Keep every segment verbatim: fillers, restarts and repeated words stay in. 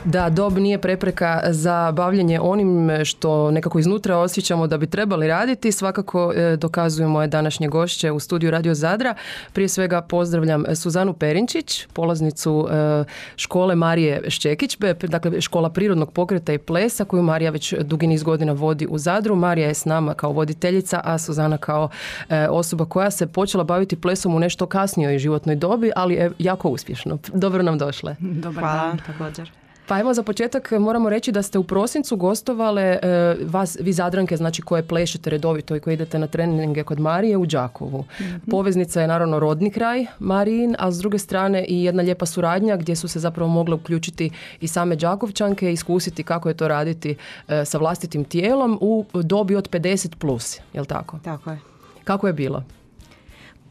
Da, dob nije prepreka za bavljenje onim što nekako iznutra osjećamo da bi trebali raditi. Svakako e, dokazuju moje današnje gošće u studiju Radio Zadra. Prije svega pozdravljam Suzanu Perinčić, polaznicu e, škole Marije Šćekić, dakle škola prirodnog pokreta i plesa koju Marija već dugi niz godina vodi u Zadru. Marija je s nama kao voditeljica, a Suzana kao e, osoba koja se počela baviti plesom u nešto kasnijoj životnoj dobi, ali je jako uspješno. Dobro nam došle. Dobar dan, također. Pa evo za početak moramo reći da ste u prosincu gostovale e, vas, vi Zadranke, znači koje plešete redovito i koje idete na treninge kod Marije u Đakovu. Mm-hmm. Poveznica je naravno rodni kraj Marijin, a s druge strane i jedna lijepa suradnja gdje su se zapravo mogle uključiti i same Đakovčanke i iskusiti kako je to raditi e, sa vlastitim tijelom u dobi od pedeset plus, jel tako? Tako je. Kako je bilo?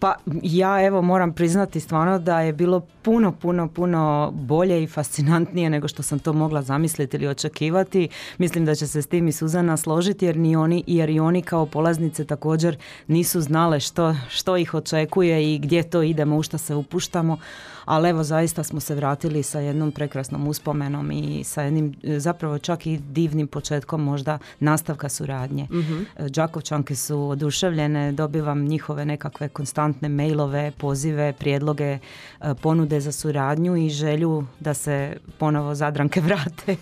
Pa ja evo moram priznati stvarno da je bilo puno, puno, puno bolje i fascinantnije nego što sam to mogla zamisliti ili očekivati. Mislim da će se s tim i Suzana složiti jer, ni oni, jer i oni kao polaznice također nisu znale što, što ih očekuje i gdje to idemo, u što se upuštamo. Ali evo zaista smo se vratili sa jednom prekrasnom uspomenom i sa jednim zapravo čak i divnim početkom možda nastavka suradnje. Mm-hmm. Đakovčanke su oduševljene, dobivam njihove nekakve konstantne mailove, pozive, prijedloge, ponude za suradnju i želju da se ponovo Zadranke vrate.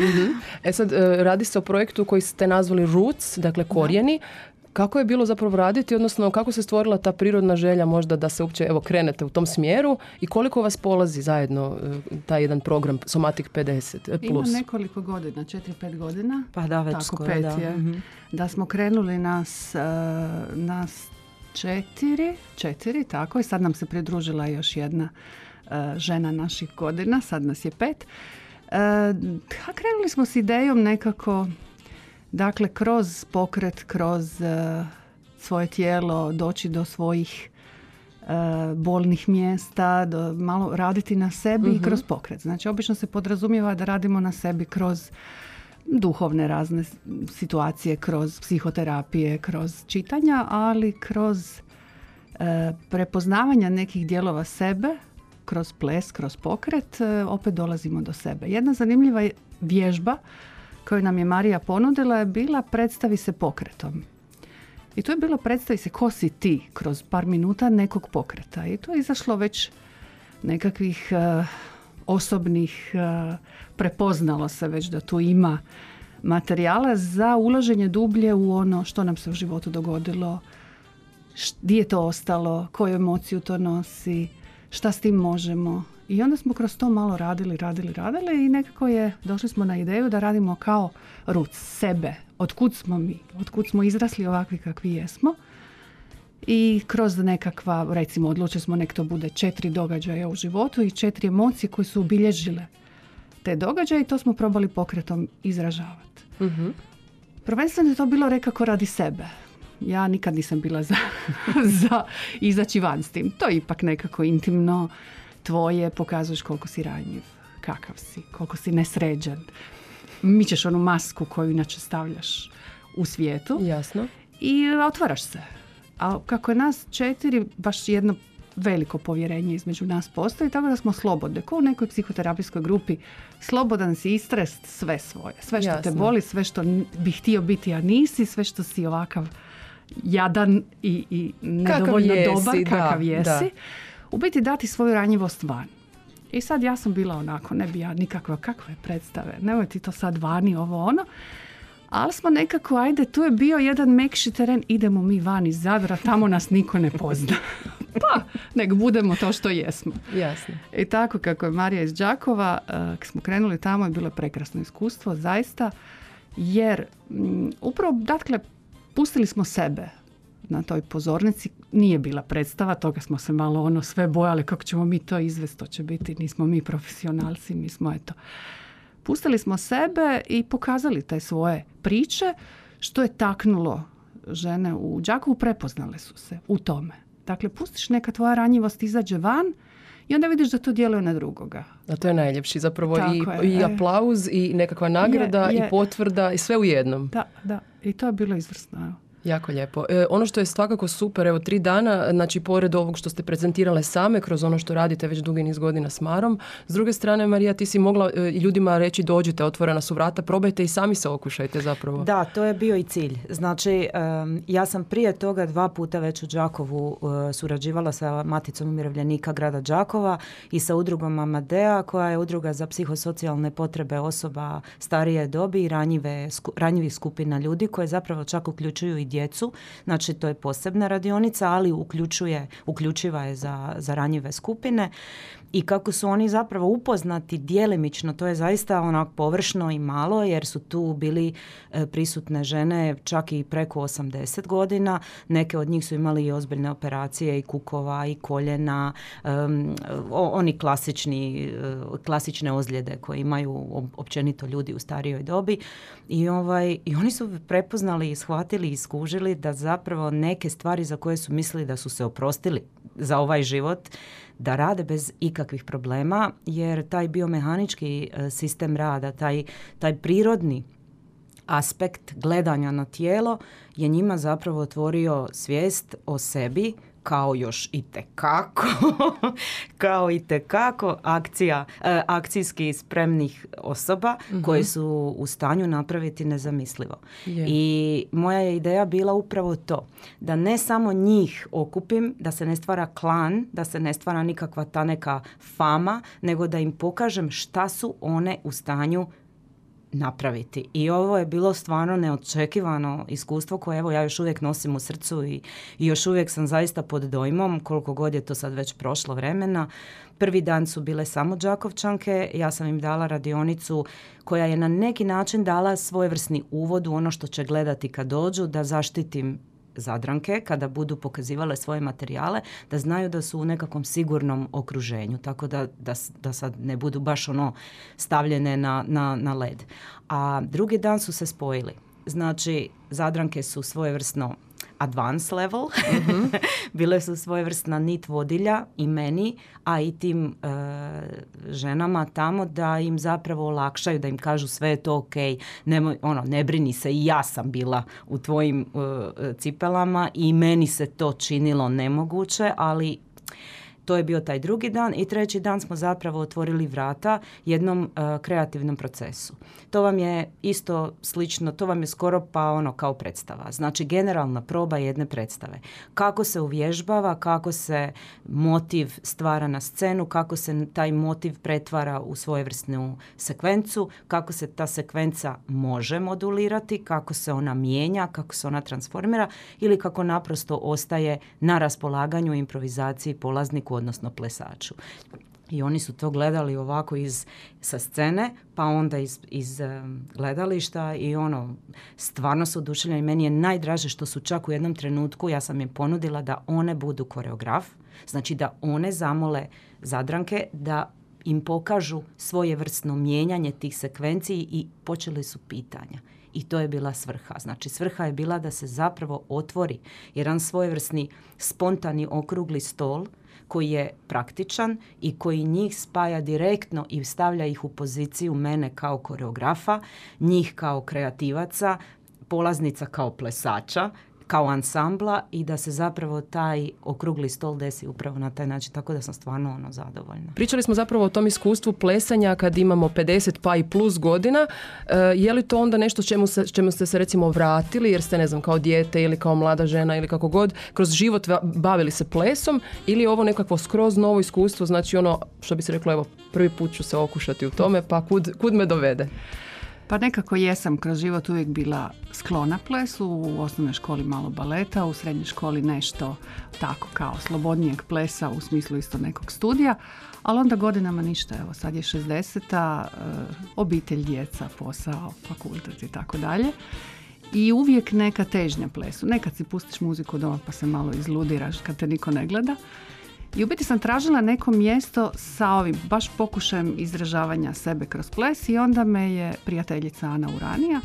Mm-hmm. E sad, radi se o projektu koji ste nazvali Roots, dakle korijeni. Da. Kako je bilo zapravo raditi, odnosno kako se stvorila ta prirodna želja možda da se uopće evo krenete u tom smjeru i koliko vas polazi zajedno taj jedan program Somatic pedeset plus? Ima nekoliko godina, četiri pet godina. Pa da, već tako, skoro, pet da. Je, mm-hmm. da smo krenuli nas, uh, nas četiri, četiri, tako i sad nam se pridružila još jedna uh, žena naših godina, sad nas je pet. Uh, krenuli smo s idejom nekako, dakle, kroz pokret, kroz uh, svoje tijelo, doći do svojih uh, bolnih mjesta, do, malo raditi na sebi mm-hmm. i kroz pokret. Znači, obično se podrazumijeva da radimo na sebi kroz duhovne razne situacije, kroz psihoterapije, kroz čitanja, ali kroz uh, prepoznavanja nekih dijelova sebe, kroz ples, kroz pokret, uh, opet dolazimo do sebe. Jedna zanimljiva vježba koju nam je Marija ponudila je bila predstavi se pokretom. I to je bilo predstavi se ko si ti kroz par minuta nekog pokreta. I to je izašlo već nekakvih uh, osobnih, uh, prepoznalo se već da tu ima materijala za ulaženje dublje u ono što nam se u životu dogodilo, gdje je to ostalo, koju emociju to nosi, šta s tim možemo. I onda smo kroz to malo radili, radili, radili i nekako je, došli smo na ideju da radimo kao Roots, sebe. Otkud smo mi? Otkud smo izrasli ovakvi kakvi jesmo? I kroz nekakva, recimo, odlučili smo nek to bude četiri događaja u životu i četiri emocije koje su obilježile te događaje i to smo probali pokretom izražavati. Mm-hmm. Prvenstveno je to bilo rekako radi sebe. Ja nikad nisam bila za, za izaći van s tim. To je ipak nekako intimno tvoje, pokazuješ koliko si ranjiv, kakav si, koliko si nesređen. Mičeš onu masku koju inače stavljaš u svijetu. Jasno. I otvaraš se. A kako je nas četiri, baš jedno veliko povjerenje između nas postoji, tako da smo slobodne. Kao u nekoj psihoterapijskoj grupi, slobodan si istrest sve svoje. Sve što Jasno. te boli, sve što bi htio biti, a nisi, sve što si ovakav jadan i, i nedovoljno jesi, dobar, da, kakav jesi. Da. U biti dati svoju ranjivost van. I sad ja sam bila onako, ne bi ja nikakva, kakve predstave, nemoj ti to sad vani, ovo ono. Ali smo nekako, ajde, tu je bio jedan mekši teren, idemo mi van iz Zadra, tamo nas niko ne pozna. Pa, nek budemo to što jesmo. Jasno. I tako kako je Marija iz Đakova, uh, kad smo krenuli tamo je bilo prekrasno iskustvo, zaista, jer um, upravo, dakle, pustili smo sebe na toj pozornici, nije bila predstava, toga smo se malo ono sve bojali kako ćemo mi to izvesti, to će biti, nismo mi profesionalci, mi smo eto. Pustili smo sebe i pokazali te svoje priče, što je taknulo žene u Đakovu, prepoznale su se u tome. Dakle, pustiš neka tvoja ranjivost izađe van i onda vidiš da to djeluje na drugoga. A to je najljepši, zapravo i, je, i aplauz i nekakva nagrada je, je. i potvrda i sve u jednom. Da, da. I to je bilo izvrsno. Jako lijepo. E, ono što je svakako super, evo tri dana, znači pored ovog što ste prezentirale same, kroz ono što radite već dugi niz godina s Marom, s druge strane, Marija, ti si mogla e, ljudima reći dođite, otvorena su vrata, probajte i sami se okušajte zapravo. Da, to je bio i cilj. Znači, um, ja sam prije toga dva puta već u Đakovu uh, surađivala sa Maticom umirovljenika grada Đakova i sa udrugom Amadea, koja je udruga za psihosocijalne potrebe osoba starije dobi i ranjive, sku, ranjivih skupina ljudi, koje zapravo čak uključuju i djecu. Znači, to je posebna radionica, ali uključuje, uključiva je za, za ranjive skupine. I kako su oni zapravo upoznati djelimično, to je zaista onak površno i malo, jer su tu bili e, prisutne žene čak i preko osamdeset godina. Neke od njih su imali i ozbiljne operacije i kukova i koljena, um, o, oni klasični, uh, klasične ozljede koje imaju općenito ljudi u starijoj dobi. I, ovaj, i oni su prepoznali i shvatili i skužili da zapravo neke stvari za koje su mislili da su se oprostili za ovaj život, da rade bez ikakvih problema, jer taj biomehanički sistem rada, taj, taj prirodni aspekt gledanja na tijelo je njima zapravo otvorio svijest o sebi kao još itekako, kao itekako akcija, akcijski spremnih osoba mm-hmm. koje su u stanju napraviti nezamislivo. Yeah. I moja je ideja bila upravo to, da ne samo njih okupim, da se ne stvara klan, da se ne stvara nikakva ta neka fama, nego da im pokažem šta su one u stanju napraviti. I ovo je bilo stvarno neočekivano iskustvo koje evo ja još uvijek nosim u srcu i, i još uvijek sam zaista pod dojmom, koliko god je to sad već prošlo vremena. Prvi dan su bile samo Đakovčanke, ja sam im dala radionicu koja je na neki način dala svojevrsni uvod u ono što će gledati kad dođu, da zaštitim Zadranke kada budu pokazivale svoje materijale, da znaju da su u nekakvom sigurnom okruženju, tako da, da, da sad ne budu baš ono stavljene na, na, na led. A drugi dan su se spojili. Znači, Zadranke su svojevrsno advanced level, mm-hmm. bile su svojevrsna nit vodilja i meni, a i tim e, ženama tamo, da im zapravo olakšaju, da im kažu sve je to ok, nemoj, ono, ne brini se, i ja sam bila u tvojim e, cipelama i meni se to činilo nemoguće, ali to je bio taj drugi dan i treći dan smo zapravo otvorili vrata jednom uh, kreativnom procesu. To vam je isto slično, to vam je skoro pa ono kao predstava. Znači generalna proba jedne predstave. Kako se uvježbava, kako se motiv stvara na scenu, kako se taj motiv pretvara u svojevrsnu sekvencu, kako se ta sekvenca može modulirati, kako se ona mijenja, kako se ona transformira ili kako naprosto ostaje na raspolaganju improvizaciji polazniku, odnosno plesaču. I oni su to gledali ovako iz, sa scene, pa onda iz, iz um, gledališta i ono, stvarno su oduševljeni. Meni je najdraže što su čak u jednom trenutku, ja sam im ponudila da one budu koreograf, znači da one zamole Zadranke da im pokažu svojevrsno mijenjanje tih sekvenciji i počeli su pitanja. I to je bila svrha. Znači, svrha je bila da se zapravo otvori jedan svojevrsni spontani okrugli stol koji je praktičan i koji njih spaja direktno i stavlja ih u poziciju mene kao koreografa, njih kao kreativaca, polaznica kao plesača, kao ansambla i da se zapravo taj okrugli stol desi upravo na taj način, tako da sam stvarno ono zadovoljna. Pričali smo zapravo o tom iskustvu plesanja kad imamo pedeset pa i plus godina. E, je li to onda nešto čemu, se, čemu ste se recimo vratili jer ste, ne znam, kao dijete ili kao mlada žena ili kako god, kroz život bavili se plesom ili je ovo nekakvo skroz novo iskustvo, znači ono što bi se reklo, evo, prvi put ću se okušati u tome, pa kud, kud me dovede? Pa nekako jesam kroz život uvijek bila sklona plesu, u osnovnoj školi malo baleta, u srednjoj školi nešto tako kao slobodnijeg plesa u smislu isto nekog studija, ali onda godinama ništa, evo sad je šezdeseta, obitelj, djeca, posao, fakultet i tako dalje. I uvijek neka težnja plesu. Nekad si pustiš muziku doma pa se malo izludiraš kad te niko ne gleda. I u biti sam tražila neko mjesto sa ovim, baš pokušajem izražavanja sebe kroz ples i onda me je prijateljica Ana Uranija,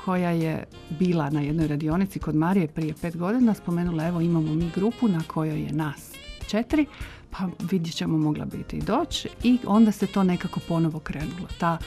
koja je bila na jednoj radionici kod Marije prije pet godina, spomenula evo imamo mi grupu na kojoj je nas četiri, pa vidjet ćemo mogla biti i doći i onda se to nekako ponovo krenulo. Ta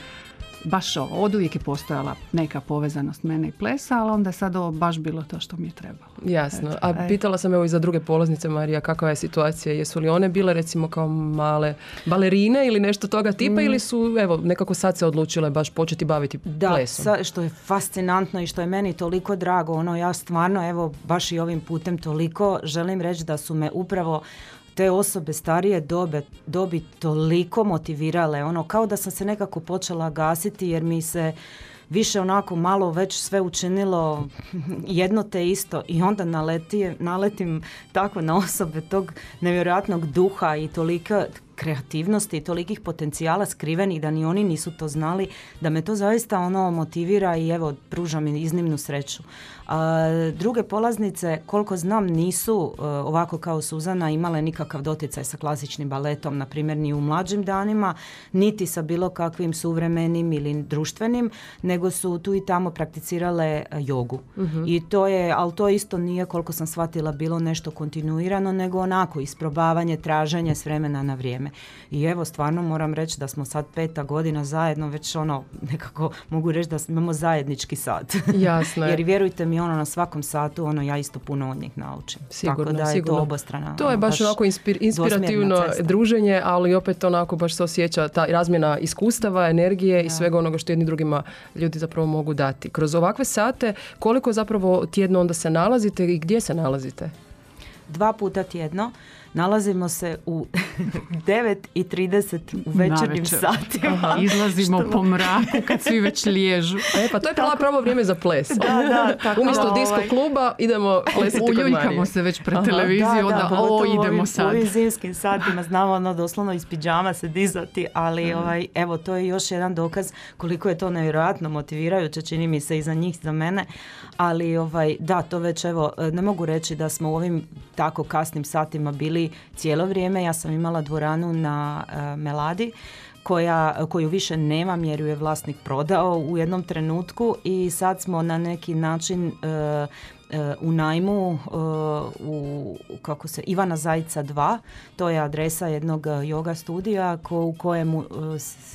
baš ovo, od uvijek je postojala neka povezanost mene i plesa, ali onda je sad ovo baš bilo to što mi je trebalo. Jasno. Eto, A pitala sam evo i za druge polaznice, Marija, kakva je situacija? Jesu li one bile recimo kao male balerine ili nešto toga tipa mm. ili su evo nekako sad se odlučile baš početi baviti da, plesom? Da, što je fascinantno i što je meni toliko drago, ono ja stvarno evo baš i ovim putem toliko želim reći da su me upravo te osobe starije dobe, dobi toliko motivirale, ono kao da sam se nekako počela gasiti jer mi se više onako malo već sve učinilo jedno te isto i onda naleti, naletim tako na osobe tog nevjerojatnog duha i tolika kreativnosti i tolikih potencijala skrivenih da ni oni nisu to znali, da me to zaista ono motivira i evo pruža mi iznimnu sreću. A, druge polaznice, koliko znam, nisu a, ovako kao Suzana imale nikakav doticaj sa klasičnim baletom, na primjer ni u mlađim danima, niti sa bilo kakvim suvremenim ili društvenim, nego su tu i tamo prakticirale a, jogu. Uh-huh. I to je, ali to isto nije, koliko sam shvatila, bilo nešto kontinuirano, nego onako isprobavanje, traženje s vremena na vrijeme. I evo, stvarno moram reći da smo sad peta godina zajedno, već ono, nekako mogu reći da imamo zajednički sat. Jasno je. Jer vjerujte mi, ono, na svakom satu, ono, ja isto puno od njih naučim. Sigurno, tako da je sigurno. to obostrana. To je baš, baš onako inspir, inspirativno druženje, ali opet onako baš se osjeća ta razmjena iskustava, energije ja. i svega onoga što jedni drugima ljudi zapravo mogu dati. Kroz ovakve sate, koliko zapravo tjedno onda se nalazite i gdje se nalazite? Dva puta tjedno. Nalazimo se u devet i trideset u večernjim satima. Aha, izlazimo što... po mraku kad svi već liježu. E, pa to je pravo, pravo vrijeme za ples. Da, da, tako umjesto da, disko ovaj... kluba idemo plesati kod Marije. Uljuljkamo se već pred televiziju, da, da, da o, idemo ovim, sad. U ovim zimskim satima znamo ono doslovno iz pidžama se dizati, ali mm. ovaj, evo, to je još jedan dokaz koliko je to nevjerojatno motivirajuće, čini mi se i za njih, za mene. Ali ovaj, da, to već evo, ne mogu reći da smo u ovim tako kasnim satima bili cijelo vrijeme. Ja sam imala dvoranu na uh, Meladi koja, koju više nemam jer ju je vlasnik prodao u jednom trenutku i sad smo na neki način uh, uh, u najmu uh, u kako se Ivana Zajca dva, to je adresa jednog yoga studija ko, u kojemu uh,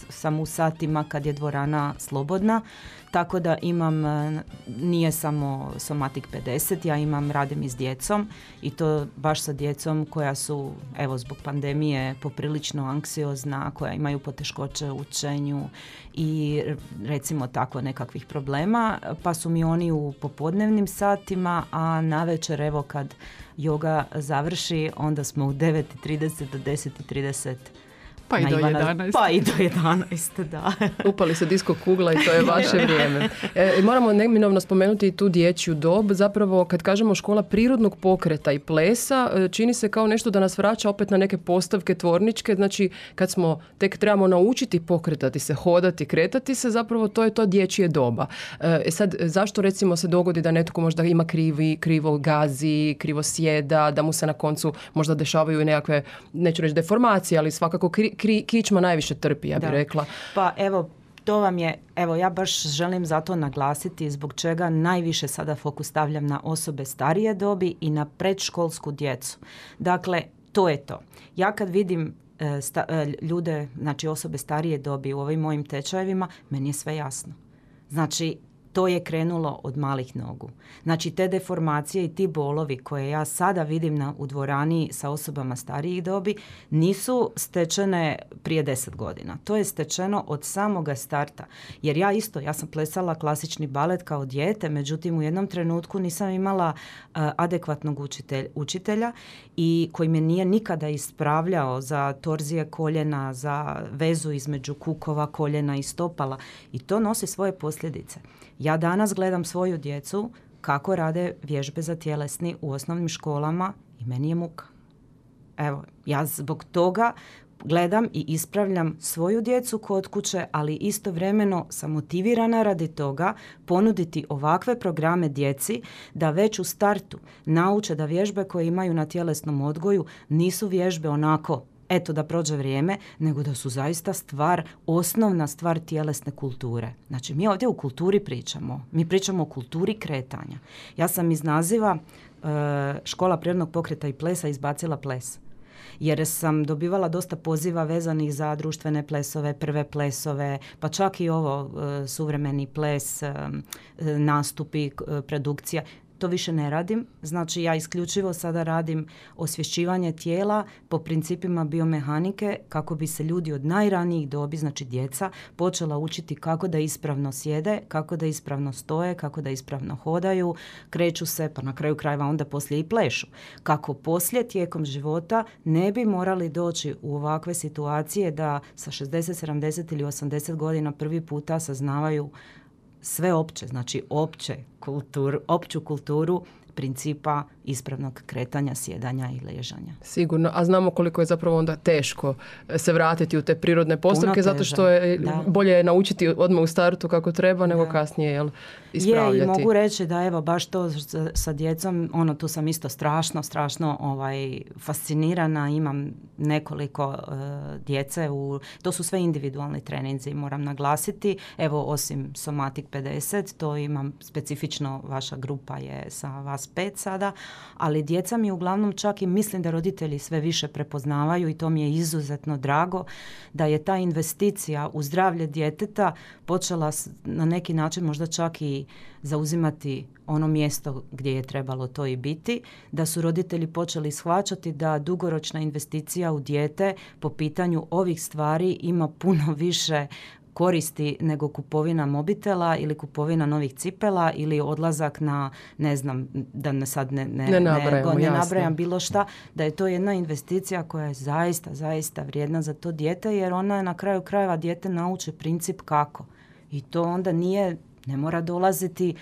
sam u satima kad je dvorana slobodna. Tako da imam, nije samo Somatic pedeset, ja imam, radim i s djecom i to baš sa djecom koja su, evo, zbog pandemije poprilično anksiozna, koja imaju poteškoće u učenju i recimo tako nekakvih problema, pa su mi oni u popodnevnim satima, a navečer, evo, kad joga završi, onda smo u devet i trideset do deset i trideset. Pa i do jedanaest. Pa i do jedanaest, da. Upali se disko kugla i to je vaše vrijeme. E, moramo neminovno spomenuti i tu dječju dob. Zapravo, kad kažemo škola prirodnog pokreta i plesa, čini se kao nešto da nas vraća opet na neke postavke tvorničke. Znači, kad smo tek trebamo naučiti pokretati se, hodati, kretati se, zapravo to je to dječje doba. E sad, zašto recimo se dogodi da netko možda ima krivi, krivo gazi, krivo sjeda, da mu se na koncu možda dešavaju i nekakve, neću reći deformacije, ali svakako kri, Kri, kičma najviše trpi, ja bih rekla. Pa evo, to vam je, evo ja baš želim zato naglasiti zbog čega najviše sada fokus stavljam na osobe starije dobi i na predškolsku djecu. Dakle, to je to. Ja kad vidim e, sta, e, ljude, znači osobe starije dobi u ovim mojim tečajevima, meni je sve jasno. Znači, to je krenulo od malih nogu. Znači, te deformacije i ti bolovi koje ja sada vidim na, u dvorani sa osobama starijih dobi nisu stečene prije deset godina. To je stečeno od samoga starta. Jer ja isto, ja sam plesala klasični balet kao dijete, međutim u jednom trenutku nisam imala uh, adekvatnog učitelj, učitelja i koji me nije nikada ispravljao za torzije koljena, za vezu između kukova, koljena i stopala. I to nosi svoje posljedice. Ja danas gledam svoju djecu kako rade vježbe za tjelesni u osnovnim školama i meni je muka. Evo, ja zbog toga gledam i ispravljam svoju djecu kod kuće, ali istovremeno sam motivirana radi toga ponuditi ovakve programe djeci da već u startu nauče da vježbe koje imaju na tjelesnom odgoju nisu vježbe onako eto da prođe vrijeme, nego da su zaista stvar, osnovna stvar tjelesne kulture. Znači, mi ovdje u kulturi pričamo. Mi pričamo o kulturi kretanja. Ja sam iz naziva e, škola prirodnog pokreta i plesa izbacila ples. jer sam dobivala dosta poziva vezanih za društvene plesove, prve plesove, pa čak i ovo suvremeni ples, nastupi, produkcija. To više ne radim, znači ja isključivo sada radim osvješćivanje tijela po principima biomehanike kako bi se ljudi od najranijih dobi, znači djeca, počela učiti kako da ispravno sjede, kako da ispravno stoje, kako da ispravno hodaju, kreću se, pa na kraju krajeva onda poslije i plešu. Kako poslije tijekom života ne bi morali doći u ovakve situacije da sa šezdeset, sedamdeset ili osamdeset godina prvi puta saznavaju sve opće, znači opće kultur, opću kulturu principa ispravnog kretanja, sjedanja i ležanja. Sigurno, a znamo koliko je zapravo onda teško se vratiti u te prirodne postavke, zato što je da. bolje je naučiti odmah u startu kako treba, nego da. kasnije jel, ispravljati. Je, i mogu reći da evo baš to sa, sa djecom, ono tu sam isto strašno, strašno ovaj, fascinirana, imam nekoliko uh, djece, u, to su sve individualni treninzi, moram naglasiti, evo osim Somatic pedeset, to imam specifično, vaša grupa je sa vas pet sada, ali djeca mi uglavnom čak i mislim da roditelji sve više prepoznavaju i to mi je izuzetno drago da je ta investicija u zdravlje djeteta počela na neki način možda čak i zauzimati ono mjesto gdje je trebalo to i biti, da su roditelji počeli shvaćati da dugoročna investicija u dijete po pitanju ovih stvari ima puno više koristi nego kupovina mobitela ili kupovina novih cipela ili odlazak na, ne znam, da ne sad ne, ne, ne, nabrajamo, ne, ne nabrajam bilo šta, da je to jedna investicija koja je zaista, zaista vrijedna za to dijete, jer ona je na kraju krajeva dijete nauči princip kako. I to onda nije, ne mora dolaziti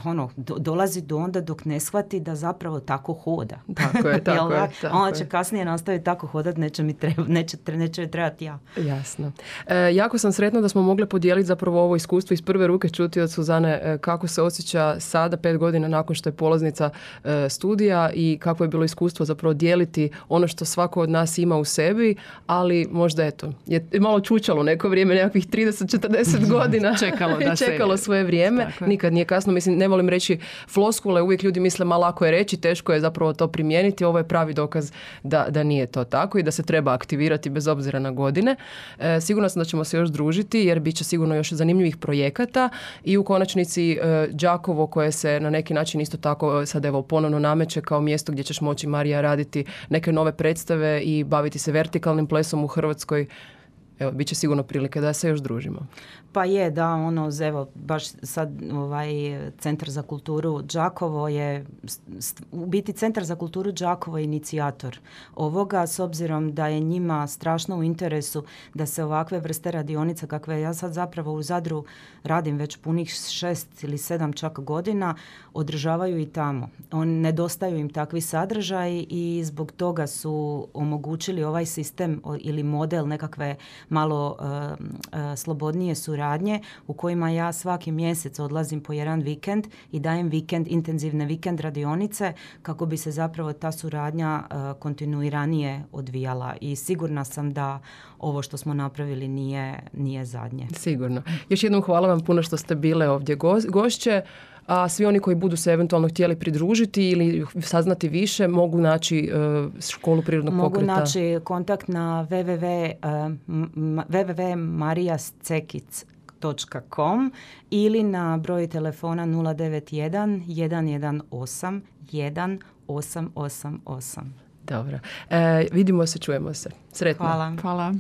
ono, do, dolazi do onda dok ne shvati da zapravo tako hoda. Tako je, tako je. Tako ona će kasnije nastaviti tako hodati, neće mi treba, neće, neće mi trebati ja. Jasno. E, jako sam sretna da smo mogli podijeliti zapravo ovo iskustvo iz prve ruke, čuti od Suzane e, kako se osjeća sada, pet godina nakon što je polaznica e, studija i kako je bilo iskustvo zapravo dijeliti ono što svako od nas ima u sebi, ali možda eto, je malo čučalo neko vrijeme, nekakvih trideset četrdeset godina. Čekalo da se... Čekalo svoje vrijeme. Nikad nije kasno, mislim, ne volim reći floskule, uvijek ljudi misle ma lako je reći, teško je zapravo to primijeniti. Ovo je pravi dokaz da, da nije to tako i da se treba aktivirati bez obzira na godine. E, sigurno sam da ćemo se još družiti jer bit će sigurno još zanimljivih projekata i u konačnici e, Đakovo koje se na neki način isto tako sad evo ponovno nameće kao mjesto gdje ćeš moći, Marija, raditi neke nove predstave i baviti se vertikalnim plesom u Hrvatskoj. Evo, bit će sigurno prilike da se još družimo. Pa je, da, ono, evo, baš sad ovaj Centar za kulturu Đakovo je, u biti Centar za kulturu Đakovo je inicijator ovoga, s obzirom da je njima strašno u interesu da se ovakve vrste radionica, kakve ja sad zapravo u Zadru radim već punih šest ili sedam čak godina, održavaju i tamo. On, nedostaju im takvi sadržaji i zbog toga su omogućili ovaj sistem ili model nekakve malo uh, uh, slobodnije suradnje u kojima ja svaki mjesec odlazim po jedan vikend i dajem vikend, intenzivne vikend radionice kako bi se zapravo ta suradnja uh, kontinuiranije odvijala i sigurna sam da ovo što smo napravili nije, nije zadnje. Sigurno. Još jednom hvala vam puno što ste bile ovdje go- gošće. A svi oni koji budu se eventualno htjeli pridružiti ili saznati više mogu naći uh, školu prirodnog mogu pokreta. Mogu naći kontakt na w w w tačka marijacekic tačka com ili na broj telefona nula devet jedan, jedan jedan osam, jedan osam osam osam. Dobro. E, vidimo se, čujemo se. Sretno. Hvala. Hvala.